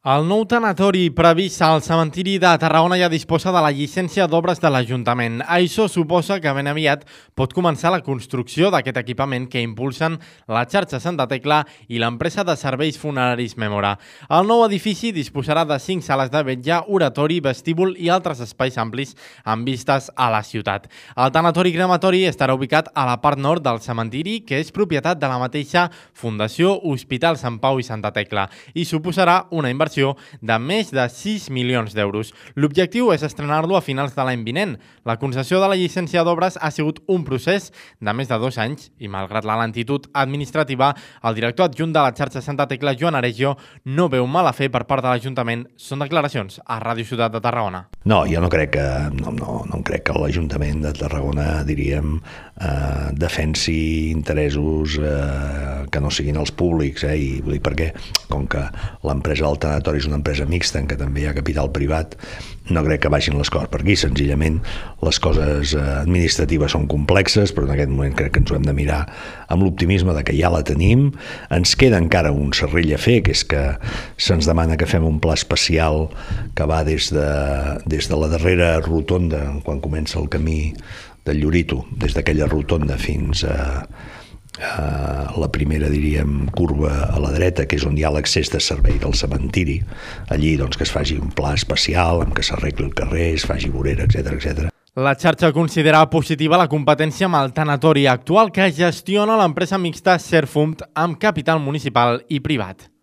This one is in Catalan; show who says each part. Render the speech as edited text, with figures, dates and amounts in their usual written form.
Speaker 1: El nou tanatori previst al cementiri de Tarragona ja disposa de la llicència d'obres de l'Ajuntament. Això suposa que ben aviat pot començar la construcció d'aquest equipament que impulsen la xarxa Santa Tecla i l'empresa de serveis funeraris Memora. El nou edifici disposarà de 5 sales de vetlla, oratori, vestíbul i altres espais amplis amb vistes a la ciutat. El tanatori crematori estarà ubicat a la part nord del cementiri, que és propietat de la mateixa Fundació Hospital Sant Pau i Santa Tecla, i suposarà una inversió de més de 6 milions d'euros. L'objectiu és estrenar-lo a finals de l'any vinent. La concessió de la llicència d'obres ha sigut un procés de més de 2 anys i, malgrat la lentitud administrativa, el director adjunt de la xarxa Santa Tecla, Joan Aregio, no veu mala fe per part de l'Ajuntament. Són declaracions a Ràdio Ciutat de Tarragona.
Speaker 2: No, jo no crec que l'Ajuntament de Tarragona, diríem, defensi interessos que no siguin els públics, i vull dir, perquè com que l'empresa del tanatori és una empresa mixta en què també hi ha capital privat, no crec que vagin les coses per aquí. Senzillament les coses administratives són complexes, però en aquest moment crec que ens ho hem de mirar amb l'optimisme de que ja la tenim. Ens queda encara un serrell a fer, que és que se'ns demana que fem un pla especial que va des de la darrera rotonda, quan comença el camí del Llorito, des d'aquella rotonda fins a la primera, diríem, curva a la dreta, que és on hi ha l'accés de servei del cementiri. Allí, doncs, que es faci un pla especial amb que s'arregli el carrer, es faci vorera, etc.
Speaker 1: La xarxa considera positiva la competència amb el tanatori actual que gestiona l'empresa mixta Serfumt amb capital municipal i privat.